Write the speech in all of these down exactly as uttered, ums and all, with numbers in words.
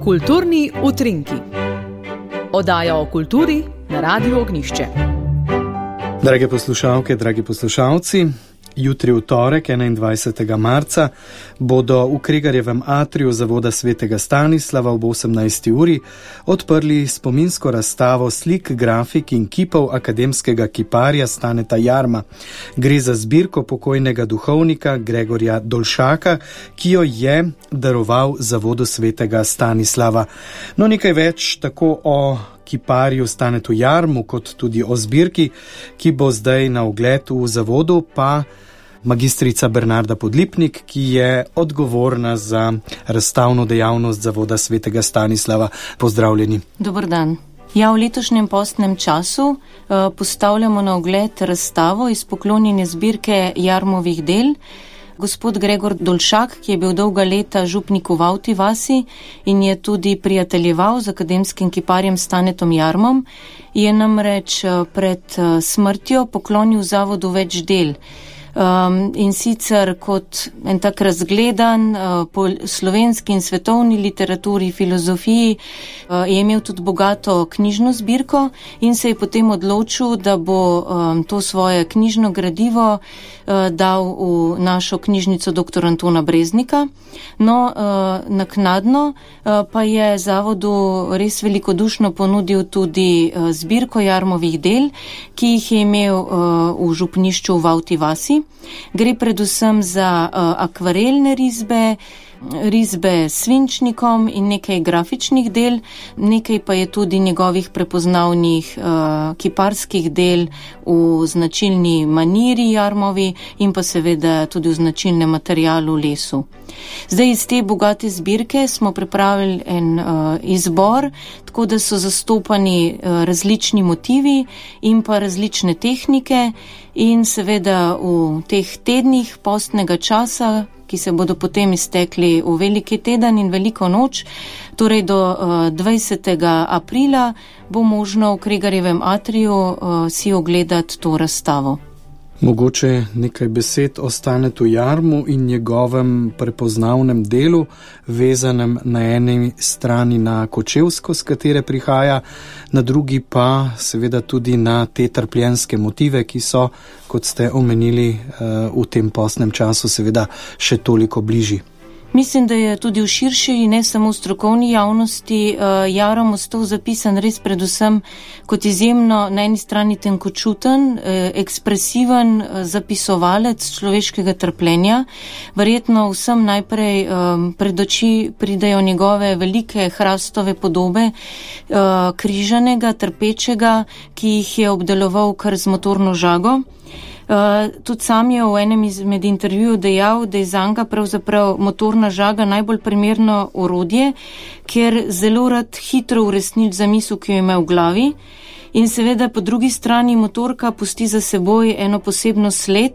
Kulturni utrinki. Oddaja o kulturi na Radiu Ognjišče. Drage poslušalke, dragi poslušalci, jutri v torek, enaindvajsetega marca, bodo v Kregarjevem atriju Zavoda svetega Stanislava ob osemnajsti uri odprli spominsko razstavo slik, grafik in kipov akademskega kiparja Staneta Jarma. Gre za zbirko pokojnega duhovnika Gregorja Dolšaka, ki jo je daroval Zavodu svetega Stanislava. No, nekaj več tako o kiparju Stanetu Jarmu, kot tudi o zbirki, ki bo zdaj na ogled v zavodu, pa magistrica Bernarda Podlipnik, ki je odgovorna za razstavno dejavnost Zavoda svetega Stanislava. Pozdravljeni. Dober dan. Ja, v letošnjem postnem času uh, postavljamo na ogled razstavo iz poklonjene zbirke Jarmovih del. Gospod Gregor Dolšak, ki je bil dolga leta župnik v Avti vasi in je tudi prijateljeval z akademskim kiparjem Stanetom Jarmom, je namreč pred smrtjo poklonil zavodu več del. Um, in sicer kot en tak razgledan uh, po slovenski in svetovni literaturi, filozofiji, uh, je imel tudi bogato knjižno zbirko in se je potem odločil, da bo um, to svoje knjižno gradivo uh, dal v našo knjižnico doktor Antona Breznika. No, uh, naknadno uh, pa je zavodu res velikodušno ponudil tudi uh, zbirko Jarmovih del, ki jih je imel uh, v župnišču v Avti vasi. Gre predvsem za uh, akvarelne risbe, risbe s svinčnikom in nekaj grafičnih del, nekaj pa je tudi njegovih prepoznavnih uh, kiparskih del v značilni maniri Jarmovi in pa seveda tudi v značilnem materialu lesu. Zdaj iz te bogate zbirke smo pripravili en uh, izbor, tako da so zastopani uh, različni motivi in pa različne tehnike in seveda v teh tednih postnega časa, ki se bodo potem iztekli v veliki teden in veliko noč, torej do uh, dvajsetega aprila, bo možno v Kregarjevem atriju uh, si ogledati to razstavo. Mogoče nekaj besed o Stanetu Jarmu in njegovem prepoznavnem delu, vezanem na eni strani na Kočevsko, s katere prihaja, na drugi pa seveda tudi na te trpljenske motive, ki so, kot ste omenili, v tem postnem času seveda še toliko bližji. Mislim, da je tudi v širši, ne samo v strokovni javnosti, uh, Jarom ostal zapisan res predvsem kot izjemno na eni strani tenkočuten, eh, ekspresiven eh, zapisovalec človeškega trpljenja. Verjetno vsem najprej um, pred oči pridejo njegove velike hrastove podobe uh, križanega, trpečega, ki jih je obdeloval kar z motorno žago. Uh, tudi sam je v enem izmed intervjujev dejal, da je zanga pravzaprav motorna žaga najbolj primerno orodje, ker zelo rad hitro uresniči zamisel, ki jo ima v glavi, in seveda po drugi strani motorka pusti za seboj eno posebno sled,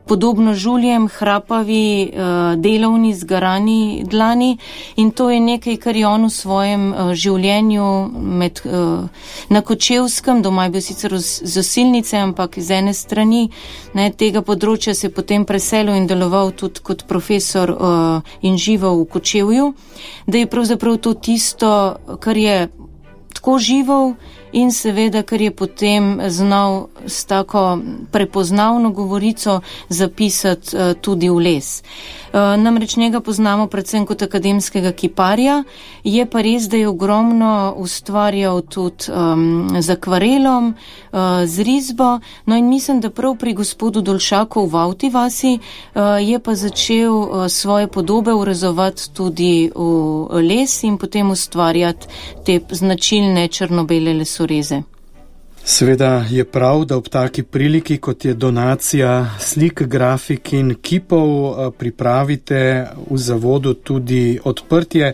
podobno žuljem, hrapavi, uh, delovni, zgarani dlani, in to je nekaj, kar je on v svojem uh, življenju med, uh, na Kočevskem, doma je bil sicer z osilnice, ampak z ene strani ne, tega področja se je potem preselil in deloval tudi kot profesor uh, in živel v Kočevju, da je pravzaprav to tisto, kar je tako živel in seveda, ker je potem znal s tako prepoznavno govorico zapisati uh, tudi v les. Uh, namreč njega poznamo predvsem kot akademskega kiparja, je pa res, da je ogromno ustvarjal tudi um, z akvarelom, uh, z risbo, no in mislim, da prav pri gospodu Dolšaku v Avti vasi uh, je pa začel uh, svoje podobe urezovati tudi v les in potem ustvarjati te značilne črno-bele lesoreze. Seveda je prav, da ob taki priliki, kot je donacija slik, grafik in kipov, pripravite v zavodu tudi odprtje,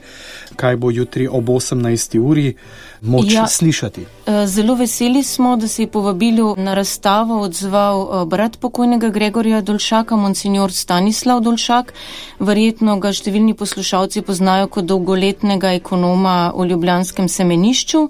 kaj bo jutri ob osemnajsti uri. moč ja, slišati. Zelo veseli smo, da se je povabilu na razstavo odzval brat pokojnega Gregorja Dolšaka, monsignor Stanislav Dolšak. Verjetno ga številni poslušalci poznajo kot dolgoletnega ekonoma v ljubljanskem semenišču.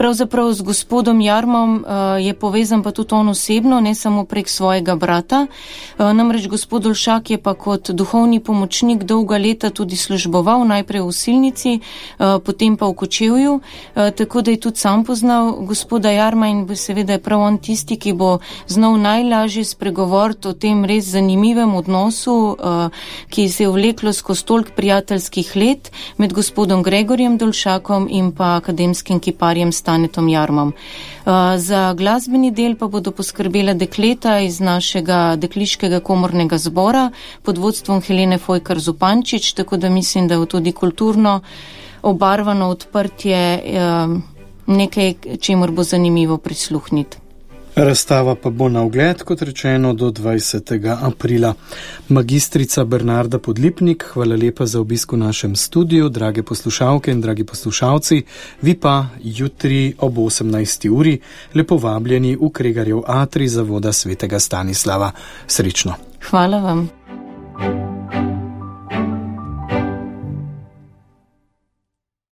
Pravzaprav z gospodom Jarmom uh, je povezan pa tudi on osebno, ne samo prek svojega brata. Uh, namreč gospod Dolšak je pa kot duhovni pomočnik dolga leta tudi služboval, najprej v Osilnici, uh, potem pa v Kočevju, uh, tako da je tudi sam poznal gospoda Jarma in seveda je prav on tisti, ki bo znal najlažje spregovoriti o tem res zanimivem odnosu, uh, ki se je vleklo skozi toliko prijateljskih let med gospodom Gregorjem Dolšakom in pa akademskim kiparjem Stanetom Jarmom. Uh, za glasbeni del pa bodo poskrbela dekleta iz našega dekliškega komornega zbora pod vodstvom Helene Fojkar Zupančič, tako da mislim, da je tudi kulturno obarvano odprtje uh, nekaj, čemur bo zanimivo prisluhniti. Razstava pa bo na ogled, kot rečeno, do dvajsetega aprila. Magistrica Bernarda Podlipnik, hvala lepa za obisk v našem studiu, drage poslušalke in dragi poslušalci, vi pa jutri ob osemnajsti uri lepo vabljeni v Kregarjev atrij Zavoda svetega Stanislava. Srečno. Hvala vam.